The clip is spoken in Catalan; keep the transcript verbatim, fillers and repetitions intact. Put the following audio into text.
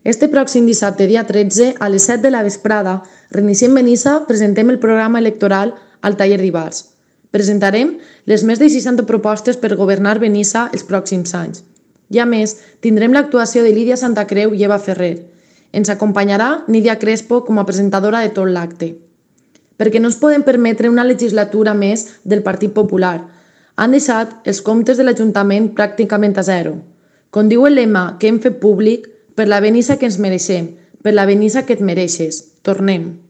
Este pròxim dissabte, dia tretze, a les set de la vesprada, reiniciem Benissa, presentem el programa electoral al taller d'Ivars. Presentarem les més de seixanta propostes per governar Benissa els pròxims anys. I a més, tindrem l'actuació de Lídia Santacreu i Eva Ferrer. Ens acompanyarà Nídia Crespo com a presentadora de tot l'acte. Perquè no ens podem permetre una legislatura més del Partit Popular. Han deixat els comptes de l'Ajuntament pràcticament a zero. Com diu el lema que hem fet públic, per la Benissa que ens mereixem, per la Benissa que et mereixes. Tornem.